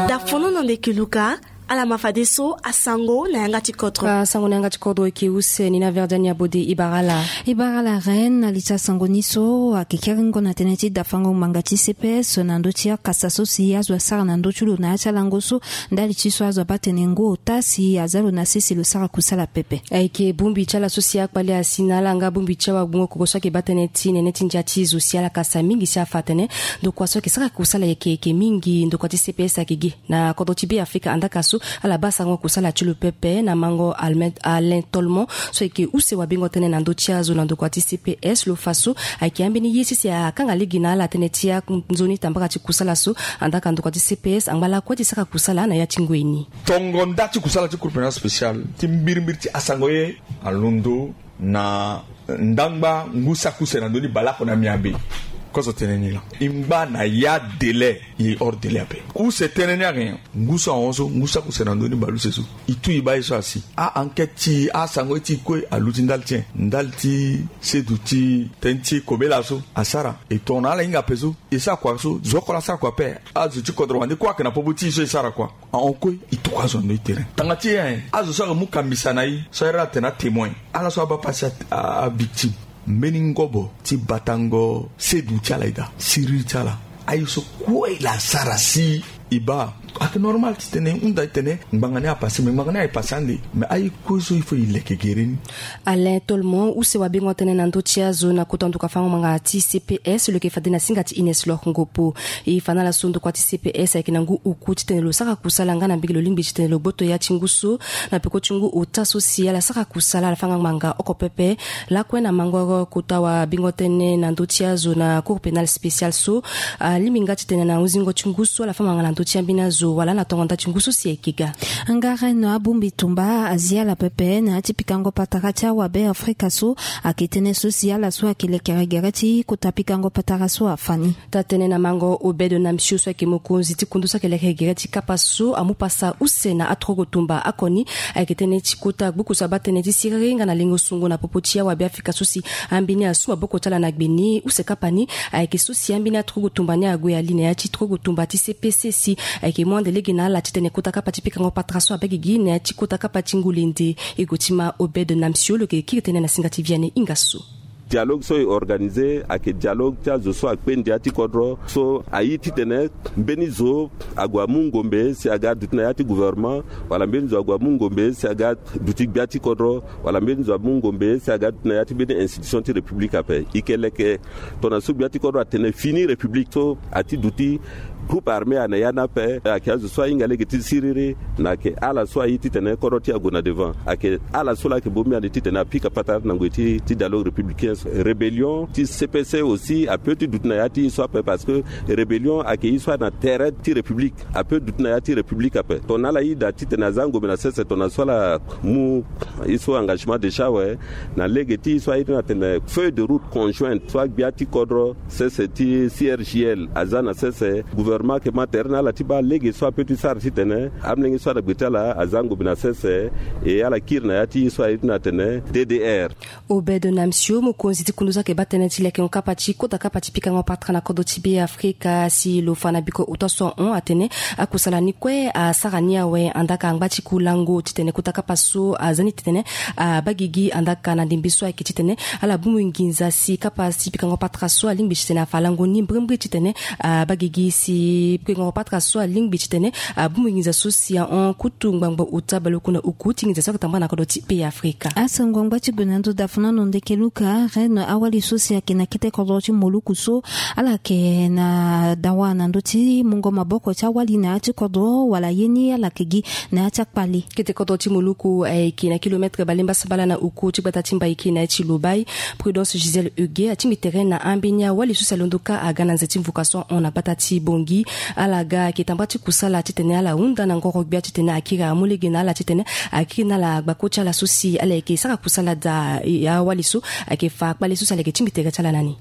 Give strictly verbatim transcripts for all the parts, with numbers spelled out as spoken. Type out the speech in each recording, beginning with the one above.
Dafono na ndeke luka. Ala ma fadeso asango na yanga ti kodro. Asango na yanga ti kodro eke use ni na verdiani abode. Ibarala. Ibarala reine na li ti asango ni so ake keringo na tënë ti dafango ngbanga ti cps na ndö ti akasa so si azo asara na ndö ti lo na ya ti alango so. Ndali ti so azo abaa tene ngu ota si aza lo na sese lo sara kusala pepe. Ayeke bongbi ti ala so si akpale asi na ala nga bongbi ti awagbungo koko so ayeke baa tënë ti nene ti ndia ti zo si ala kasa mingi si afa atene ndokua so ayeke sara kusala yeke yeke mingi ndokua ti cps ayeke gi na kodro ti be afrika andaka so. Ala baa sarango kusala ti lo pepe na mango alain tolmon so ayeke use wabingo tënë na ndö ti azo na ndokua ti cps lo fa so ayeke ambeni ye sese akanga lege na ala tënë ti anzoni tambara ti kusala so. Andaka ndokua ti cps angba lakue ti sara kusala na ya ti ngoi ni. Tongo nda ti kusala ti groupe na spécial ti mbirimbiri ti asango ye alondo na ndangba ngu saki use na ndö ni baleoko na miambe. Kozo tene ni laa e ngba na ya délai e hors délai ape. Use tënë ni ayeke nyen? Ngu so ahon so ngu saki use na ndö ni baleuse so e tu e baa ye so asi a-enquête ti e asango ye ti e kue aluti ndali ti nyen? Ndali ti seduti tënë ti kobela so asara e tonga na ala hinga ape so. E sara kua so zo oko laa asara kua ape. Azo ti kodro wande kue ayeke na popo ti e so e sara kua. Ahon kue e tokua azo na ndö ti terrain tanga ti e ayen azo so ayeke mu kambisa na e so ayere ala tene atémoin ala so abaa pasi avictime. Mbeni ngobo ti batango sedu ti ala eda siriri ti ala. Aye so kue e la sara si e baa ayeke normal titene e hunda titene ngbanga ni apase me ngbanga ni aye pase ande. Me aye kue so il faut e leke gere ni. Alain tolmon use wabingo tënë na ndö ti azo na kota nduka fango ngbanga ti cps lo yeke fade na singa ti ines lor ngopo. E fa na ala so ndokua ti cps ayeke na ngu oku titene lo sara kusala nga na mbege lo lingbi titene lo gboto ya ti ngu so na peko ti ngu ota so si ala sara kusala ala fanga ngbanga oko pepe. Lakue na mango kota wabingo tënë na ndö ti azo na cour pénale spéciale so alingbi nga titene na huzingo ti ngu so ala fa ngbanga na ndö ti ambeni azo wala na tongo nda ti ngu so si ayeke ga. Nga reine abongbi tumba azi ala pepe na ya ti pikango patara ti awabe afrika so. Ayeke tënë so si ala so ayeke lekere gere ti kota pikango patara so afa ni. Taa-tënë na mango obed namsio so ayeke mokonzi ti kundu so ayeke lekere gere ti kapa so amu pasa use na aturugu tumba oko ni. Ayeke tënë ti kota gbuku so abaa tënë ti siriri nga na lengo sungo na popo ti awabe afrika so si ambeni asu maboko ti ala na gbe ni use kapa ni. Ayeke so si ambeni aturugu tumba ni ague ali na ya ti turugu tumba ti cpc si ayeke mu ande lege na ala titene kota kapa ti pikango patara so abaa gigi na ya ti kota kapa ti ngulende. E gue ti ma obed namsio lo yeke kiri tënë na singa ti viane hinga so. Dialogue so e organize ayeke dialogue ti azo so akpe ndia ti kodro so aye titene mbeni zo ague amu ngombe si aga duti na ya ti gouvernement wala mbeni zo ague amu ngombe si aga duti gbia ti kodro wala mbeni zo amu ngombe si aga duti na ya ti mbeni institution ti république ape. E ke leke tongana so gbia ti kodro atene fini république so ati duti groupe armée ane ya ni ape. Ayeke azo so ahinga lege ti siriri na ayeke ala so aye titene kodro ti ague na devant ayeke ala so laa ayeke bongbi ande titene apika patara na ngoi ti ti dialogue républicain so rébellion ti cpc aussi ape ti duti na ya ti ye so ape parce que rébellion ayeke ye so ana tere ti république ape duti na ya ti république ape. Tongana ala yeda titene aza ngombe na sese tongana so ala mu ye so engagement déjà awe na lege ti ye so aye ti na tene feuille de route conjointe so agbia ti kodro sese ti crgl aza na sese gouvernement ayeke ma tere na ala ti baa lege so ape ti sara titene amolenge so ana gbe ti ala aza ngombe na sese. E ala kiri na ya ti ye so aye ti na tene ddr. Obed namsio mokonzi ti kundu so ayeke baa tënë ti lekengo kapa ti kota kapa ti pikango patara na kodro ti be afrika si lo fa na biko ota so ahon atene akusala ni kue asara ni awe andaka angba ti kulango titene kota kapa so aza ni titene abaa gigi andaka na ndembe so ayeke titene ala bongbi nginza si kapa ti pikango patara so alingbi titene afa lango ni mbrimbri titene abaa gigi si pikango patara so alingbi titene abongbi nginza so si ahon kutu ngbangbo ota baleoko na oku ti nginza so ayeke tambara na kodro ti be afrika. Asango angba ti gue na ndo dafuna no ndeke luka reine awali so si ayeke na kete kodro ti moluku so ala yeke na dawa na ndö ti mungo maboko ti awali na ya ti kodro wala ye ni ala yeke gi na ya ti akpale. Kete kodro ti moluku ayeke na kilometre balemba sabala na oku ti gbata ti mbaiki na ya ti lobai. Prudence gisèle huguet atingbi tere na ambeni awali so si alondo kâ aga na nze ti mvuka so ahon na gbata ti bongi. Ala ga ayeke tambara ti kusala titene ala hunda na ngoro gbia titene akiri amu lege na ala titene akiri na ala gbako ti ala so si ala yeke sara kusala daa. Awali so ayeke fa kpale so si ala yeke tingbi tere ti ala na ni.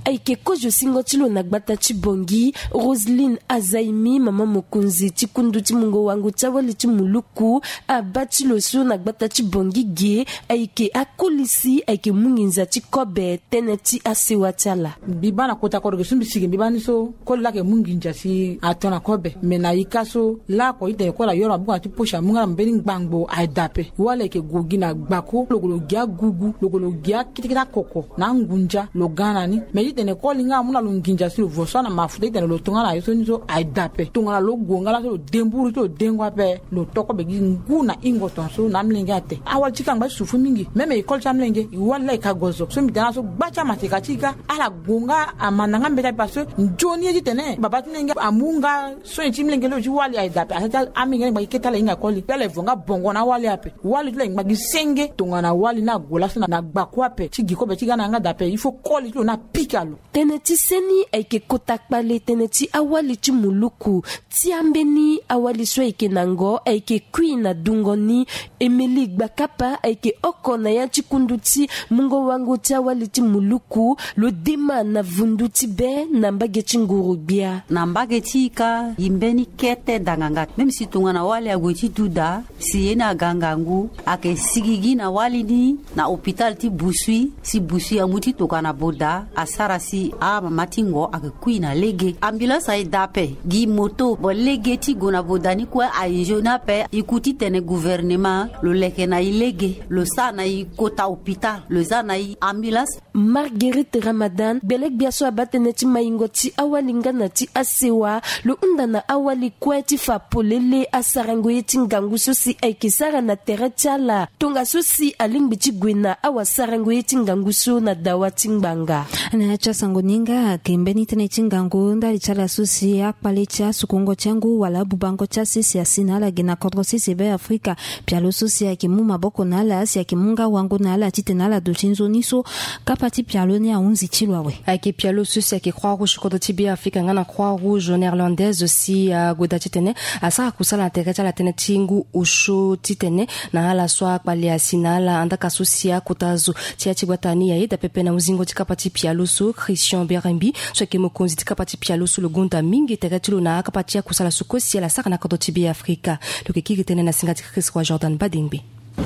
Ayeke kozo singo ti lo na gbata ti Bongi, Roseline Azaimi, mama mokonzi ti kundu ti mungo wango ti awali ti muluku, abaa ti lo so na gbata ti Bongi ge ayeke akoli si ayeke mu nginza ti kobe tënë ti asewa ti ala. Mbi baa na kota kodro ge so mbi si ge mbi baa ni so koli laa ayeke mu nginza si ato na kobe. Me na ika so laoko itene koli ayoro abuku na ti posi amu nga na mbeni ngbangbo aye daa ape. Wali ayeke gue gi na gbako, lo gue lo gi agugu, lo gue lo gi akete kete akoko na angunza lo ga na ni. Me titene koli nga amu na lo nginza si lo vo so ana mafuta titene lo to nga na ye so ni so aye daa ape. Tongana lo gue nga laa so lo de mburu ti lo dengo ape, lo to kobe gi ngu na hingo tongaso na amolenge ate. Awali ti ka ngba ti sufu mingi. Meme e koli ti amolenge e wali laa e ka gozo so mbi tene ala so gba ti amaseka ti e ka ala gue nga amanda nga mbeti ape parce que nzoni ye titene baba ti molenge amu nga sonye ti molenge lo ti wali aye daa ape. Asa ti amolenge ni ngba gi kete ala hinga koli pe ala e vo nga bongo na awali ape. Wali ti lo ayeke ngba gi senge tongana wali ni ague laso na gbako ape ti gi kobe ti ga na yanga daa ape il faut koli ti lo ni apika lo. Tënë ti seni ayeke kota kpale tënë ti awali ti muluku. Ti ambeni awali so ayeke na ngo ayeke kui na dungo ni. Emeli Gbakapa ayeke oko na ya ti kundu ti mungo wango ti awali ti muluku. Lo dema na vundu ti be na mbage ti nguru-gbia. Na mbage ti ika gi mbeni kete danganga même si tongana wali ague ti duda si ye ni aga ngangu ayeke sigi gi na wali ni na hôpital ti Busui si Busui amu ti tokana boda asara si amama ti ngo ayeke kui na lege. Ambulance aye daa ape gi moto bo lege ti gue na boda ni kue aye nzoni ape. E ku titene gouvernement lo leke na e lege lo sara na e kota hôpital lo za na e ambulance. Marguerite Ramadan gbele-gbia so abaa tënë ti maingo ti awali nga na ti asewa. Lo hunda na awali kue ti fa polele asarango ye ti ngangu so si ayeke sara na tere ti ala tongaso si alingbi ti gue na awasarango ye ti ngangu so na dawa ti ngbanga. Na ya ti asango ni nga ayeke mbeni tënë ti ngangu ndali ti ala so si akpale ti asukungo ti angu wala abubango ti asese asi na ala ge na kodro sese Be Afrika. Pialo so si ayeke mu maboko na ala si ayeke mu nga wango na ala titene ala duti nzoni so kapa ti pialo ni ahunzi ti lo awe. Ayeke pialo so si ayeke Croix Rouge kodro ti Be Afrika nga na Croix Rouge néerlandaise si ague daa titene asara kusala na tere ti ala tënë ti ngu osio titene na ala so akpale asi na ala andaka so si akota zo ti ya ti gbata ni ayeda pepe na huzingo ti kapa ti pialo so. Christian Berembi so ayeke mokonzi ti kapa ti pialo so lo gonda mingi tere ti lo na akapa ti akusala so kue si ala sara na kodro ti Be Afrika. Lo yeke kiri tënë na singa ti Chris Roi Jordan Badengbe.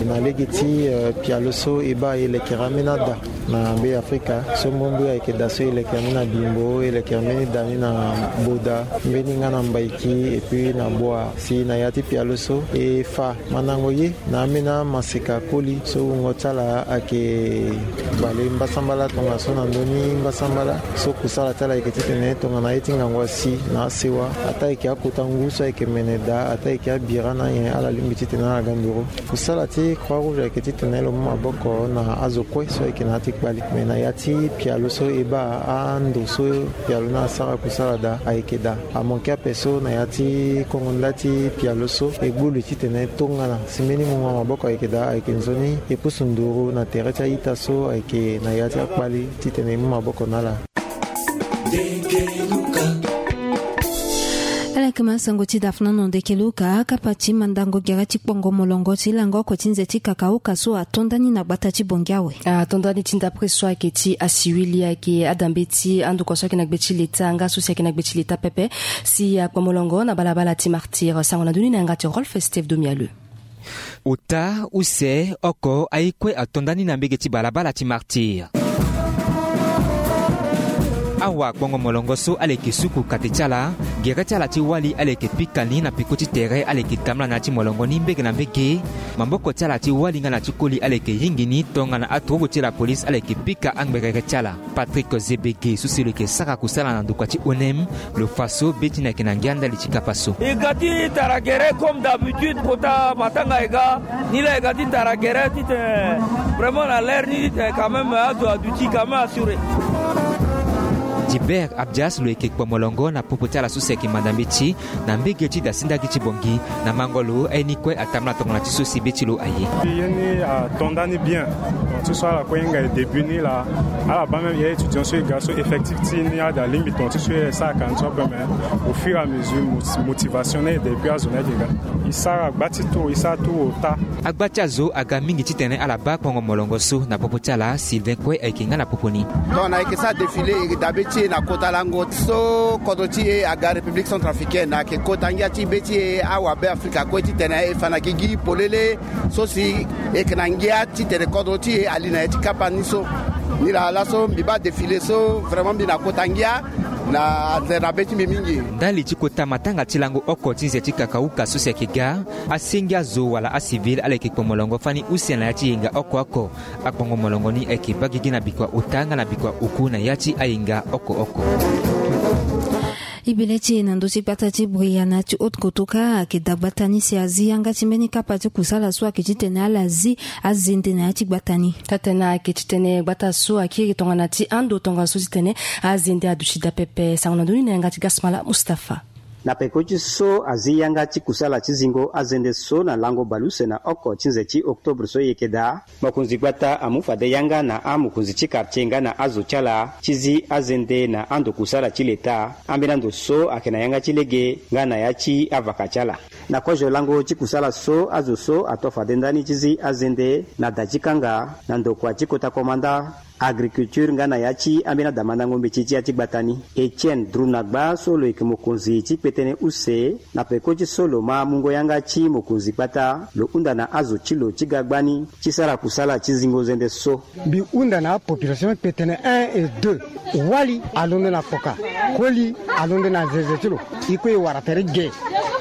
Na lege ti, eh, pialo so e baa e lekere ambeni ada na Be Afrika so mbirimbiri ayeke da so e lekere ambeni na Bimbo, e lekere mbeni da ni na Boda, mbeni nga na Mbaiki et puis na Boa. Si na ya ti pialo so e fa mandango ye na ambeni amaseka koli so wungo ti ala ayeke bale mbasambala tongaso na ndö ni mbasambala so kusala ti ala ayeke titene tongana ye ti ngangu asi na asewa ataa ayeke akota ngu so ayeke mene daa ataa ayeke abira na nyen ala lingbi titene ala ga nduru. Kusala ti Croix Rouge ayeke titene lo mu maboko na azo kue so ayeke na ya ti kpali. Me na ya ti pialo so e baa ando so pialo ni asara kusala daa ayeke daa. Amanke ape so na ya ti kongo nda ti pialo so e gbu li titene tongana si mbeni mungo maboko ayeke daa ayeke nzoni e pusu nduru na tere ti a-ita so ayeke na ya ti akpali titene e mu maboko na ala. Ala yeke ma sango ti dafna no ndeke luka kapa ti mandango gere ti kpongo molongo ti lango oko ti nze ti kakauka so ato nda ni na gbata ti Bongi awe. Ato nda ni ti ndapre so ayeke ti asiwili ayeke adambe ti andokua so ayeke na gbe ti leta nga so si ayeke na gbe ti leta pepe si akpo molongo na balabala ti Martyr. Sango na ndö ni na yanga ti Rolf Steve Domialeu. Ota, use, oko, aye kue ato nda ni na mbege ti balabala ti Martyr. Awa kpongo molongo so ala yeke suku kate ti ala, gere ti ala ti wali ala yeke pika ni na peko ti tere ala yeke tambula na ya ti molongo ni mbege na mbege. Maboko ti ala ti wali nga na ti koli ala yeke yingi ni tongana aturugu ti lapolisi ala yeke pika angberere ti ala. Patrick Zebege so si lo yeke sara kusala na ndokua ti O N M, lo fa so be ti ni ayeke na ngia ndali ti kapa so. E ga ti tara gere comme d'habitude kota matanga e ga ni laa e ga ti tara gere titene vraiment na l'heure ni titene quand même azo aduti quand même assuré. Gilbert Abdias lo yeke kpo molongo na popo ti ala so si ayeke manda mbeti na mbege ti dasinda gi ti bongi na mango lo aye ni kue atambula tongana ti so si be ti lo aye. Ye ni ato ndani bien. Tonga ti so ala kue hinga e début ni laa, ala baa même ye étudiant so e ga so effectif ti ni ade alingbi tonga ti so e sara ka ni so ape, mais au fur et à mesure motivation ni ayeke depuis azo ni ayeke ga. E sara gba ti tour, e sara tour ota. Agba ti azo aga mingi titene ala baa kpongo molongo so na popo ti ala. Sylvain kue ayeke nga na popo ni. Donc na yeke sara défilé, e yeke dabe ti e na kota lango so kodro ti e aga République centrafricaine, na yeke kota ngia ti be ti e awabe Afrika kue titene e fa na gigi polele so si e yeke na ngia titene kodro ti e ali na ya ti kapa ni so. Ni laa laso mbi baa défilé so vraiment mbi na kota ngia na zere na be ti mbi mingi. Ndali ti kota matanga ti lango oko ti nze ti kakauka so si ayeke ga, asengi azo wala acivil ala yeke kpo molongo fani use na ya ti yenga oko oko. Akpongo molongo ni ayeke baa gigi na bikua ota nga na bikua oku na ya ti ayenga oko oko. E bele ti e na ndö ti gbata ti Bria na ya ti Haute Kotoka ayeke dagbata ni si azi yanga ti mbeni kapa ti kusala so ayeke titene ala zi azende na ya ti gbata ni. Taa-tene ayeke titene gbata so akiri tongana ti ando tongaso titene azende aduti daa pepe. Sango na ndö ni na yanga ti Gasmala Mustapha. Na peko ti so azi yanga ti kusala ti zingo azende so na lango baleuse na oko ti nze ti octobre so e yeke daa, mokonzi gbata amu fade yanga na amokonzi ti quartier nga na azo ti ala ti zi azende na ando kusala ti leta, ambeni ando so ayeke na yanga ti lege nga na ya ti avaka ti ala. Na kozo lango ti kusala so, azo so ato fade ndani ti zi azende na da ti kanga na ndokua ti kota komanda agriculture nga na ya ti ambeni adamandango mbeti ti ya ti gbata ni. Etienne Drunagba so lo yeke mokonzi ti kpetene use na peko ti so lo ma mungo yanga ti mokonzi gbata, lo hunda na azo ti lo ti ga gbani ti sara kusala ti zingo zende so. Mbi hunda na apopulation kpetene un et deux, wali alondo na kpoka, koli alondo na zeze ti lo. E kue e wara tere ge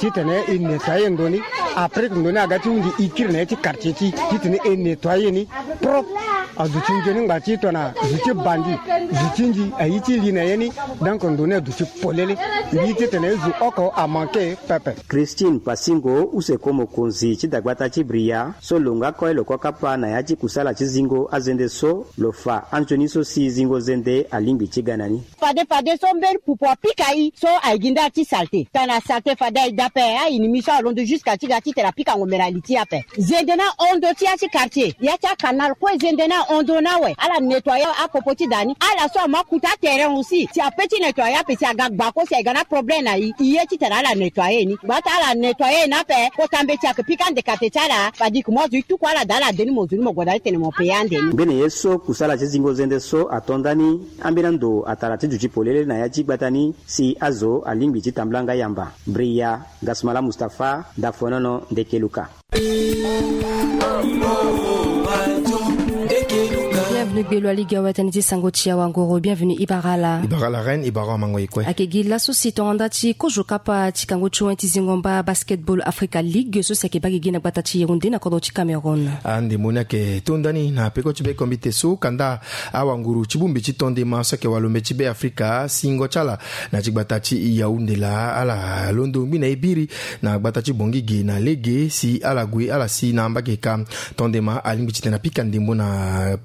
titene e nettoyer ndo ni. Après ndo ni aga ti hunzi e kiri na ya ti quartier ti e titene e nettoyer ni propre. Aduti nzoni ngba ti tongana zo ti bandi, zo ti nzi aye ti li na ye ni. Donc ndo ni aduti polele. Mbi ye titene zo oko amanke pepe. Christine Pasingo, use ko mokonzi ti dagbata ti Bria so lo nga kue lo kue kapa na ya ti kusala ti zingo azende so, lo fa anzoni so si zingo zende alingbi ti ga na ni. Fade fade so mbeni pupu apika e so aye gi nda ti salte. Tana salte fade aye daa ape, a-ennemi so alondo jusqu'à ti ga titene apika ngombe na li ti e ape. Zende ni ahon ndo ti ya ti quartier, ya ti acanal kue zende ni ahon ndo ni awe. Ala nettoyer apopo ti da ni. Ala so ama kuta aterrain aussi si ape ti nettoyer ape si aga gbako si aye ga na problème na e. E ye titene ala nettoyer ni. Gbata ala nettoyer ni ape, kota mbeti ayeke pika ande kate ti ala. Fade e ke mu azo e tuku ala daa ala de ni mo zo ni mo gue daa titene mo payer ande ni. Mbeni ye so kusala ti zingo zende so ato ndani, ambeni ando atara ti duti polele na ya ti gbata ni si azo alingbi ti tambula nga yamba. Bria, Gasmala Mustapha, Dafonono, Ndekeluka. Bienvenue gbelo aliga wa tënë ti sango ti awangoro. Bienvenue Ibarala. Ibarala Reine, Ibarala Mango Ekwe. Ayeke gi laso si tonga nda ti kozo kapa ti kango ti wen ti zingo mba Basketball Africa League so si ayeke baa gigi na gbata ti Yaoundé na kodro ti Cameroun. Ande mo ni ayeke to ndani na peko ti be kombite so kanda awanguru ti bongbi ti tondema so ayeke walombe ti be Afrika singo ti ala na ti gbata ti Yaoundé laa ala londo ngbi na e biri na gbata ti Bangui ge na lege si ala gue ala si na mbage ka tondema alingbi titene apika ndembo na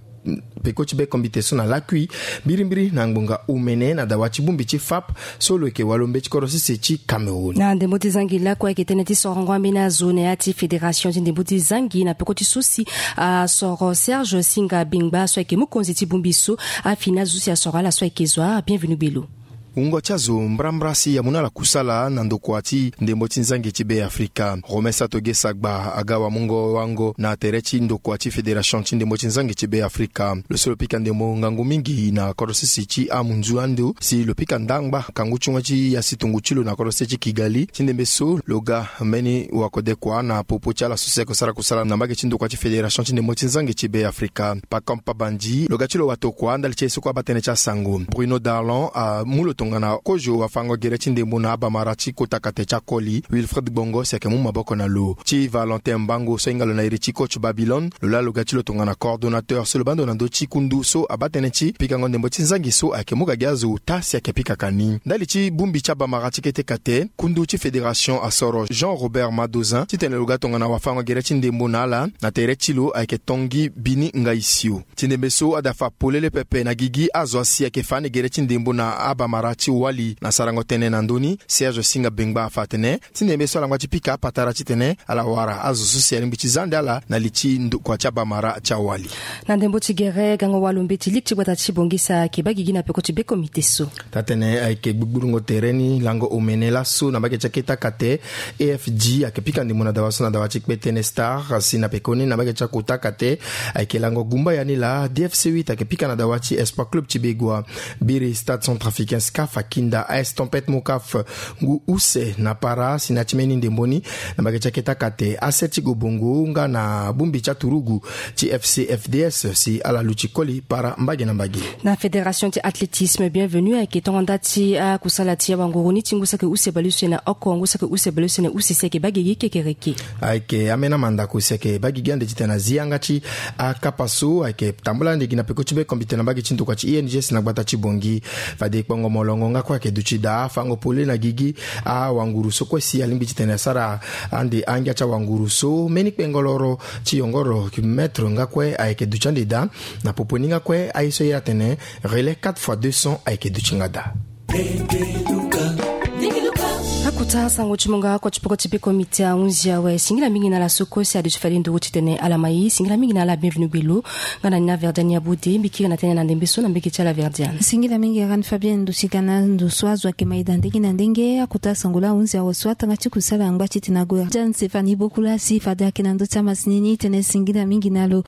peko ti be kombite so na lakui mbirimbiri na ngbonga omene na dawa ti bongbi ti FAP so lo yeke walombe ti kodro sese ti Cameroun. Na ndembo ti zangi lakue ayeke tënë ti sorongo ambeni azo na ya ti fédération ti ndembo ti zangi na peko ti so si asoro Serge Singa Bingba so ayeke mokonzi ti bongbi so afini azo so si asoro ala so ayeke zo. Bienvenue gbelo. Wungo ti azo mbrambra si amu na ala kusala na ndokua ti ndembo ti nzangi ti be Afrika. Romain Satoge Sagba aga wamungo wango na tere ti ndokua ti fédération ti ndembo ti nzangi ti be Afrika. Lo so lo pika ndembo ngangu mingi na kodro sese ti amunzu ando si lo pika ndangba kangu ti wen ti ya situngu ti lo na kodro sese ti Kigali. Ti ndembe so lo ga mbeni wakodekua na popo ti ala so si ayeke sara kusala na mbage ti ndokua ti fédération ti ndembo ti nzangi ti be Afrika. Pacome Pabandji lo ga ti lo watokua ndali ti ye so kue abaa tënë ti asango. Bruno Darlon amu lo Tongana kozo afango gere ti ndembo na abamara ti kota kate ti akoli, Wilfred Gbongo si ayeke mu maboko na lo. Ti Valentin Mbango so ahinga lo na iri ti coach Babylone, lo laa lo ga ti lo tongana coordonnateur so lo baa ndo na ndö ti kundu so abaa tënë ti pikango ndembo ti nzangi so ayeke mu ga gi azo ota si ayeke pikaka ni. Ndali ti bongbi ti abamara ti kete kate, kundu ti fédération asoro Jean Robert Madozin titene lo ga tongana wafango gere ti ndembo na ala na tere ti lo ayeke Tanguy Bini Ngaisio. Ti ndembe so adafa polele pepe na gigi azo asi ayeke fa ande gere ti ndembo na abamara ti wali na sarango tënë na ndö ni. Serge Singa Bengba afa atene ti ndembe so ala ngba ti pika apatara titene ala wara azo so si alingbi ti za ande ala na li ti ndokua ti abamara ti awali. Na ndembo ti gere, gango walo mbeti ligue ti gbata ti Bangui si ayeke baa gigi na peko ti be komite so. Taa-tënë ayeke gbugbulungo tere ni lango omene laso na mbage ti akete akate. A F G ayeke pika ndembo na dawa so na dawa ti Kpetene Star, si na pekoni na mbage ti akota kate ayeke lango gumbaya ni laa. D F C huit ayeke pika na dawa ti Espoir Club ti Begoua. Biri Stade Centrafricain, SCAF, akinda A S Tempête Mokaf ngu use na para si na ya ti mbeni ndembo ni na mbage ti akete akate. Aset ti Gobongo nga na bongbi ti aturugu ti F C F D S si ala luti koli para mbage na mbage. Na fédération ti athlétisme, Bienvenu ayeke tongo nda ti akusala ti awanguru ni ti ngu saki use baleuse na oko, ngu saki use baleuse na use si ayeke baa gigi kekereke. Ayeke ambeni amandako si ayeke baa gigi ande titene azi yanga ti akapa so ayeke tambula ande gi na peko ti be komite na mbage ti ndokua ti I N G S na gbata ti Bangui. Fade kpongo molongo nga kue ayeke duti daa, fango polele na gigi awanguru so kue si alingbi titene asara ande angia ti awanguru so. Mbeni kpengoloro ti yongoro kilometre nga kue ayeke duti ande daa. Na popo ni nga kue aye so aye atene relais quatre fois deux cents ayeke duti nga daa. Akota sango ti mo nga oko ti peko ti be komite ahunzi awe. Singila mingi na ala so kue si aduti fade nduru titene ala ma ye. Singila mingi na ala Bienvenu Gbelo nga na ni na Verdiane Yabode. Mbi kiri na tënë na ndembe so na mbage ti ala Verdiane. Singila mingi Reine Fabienne, duti ga na ndo so azo ayeke ma ida ndenge na ndenge. Akota sango laa ahunzi awe so atanga ti kusala angba titene ague. Jeanne Stéphanie Bokula si fade ayeke na ndö ti amasini ni tene singila mingi na lo.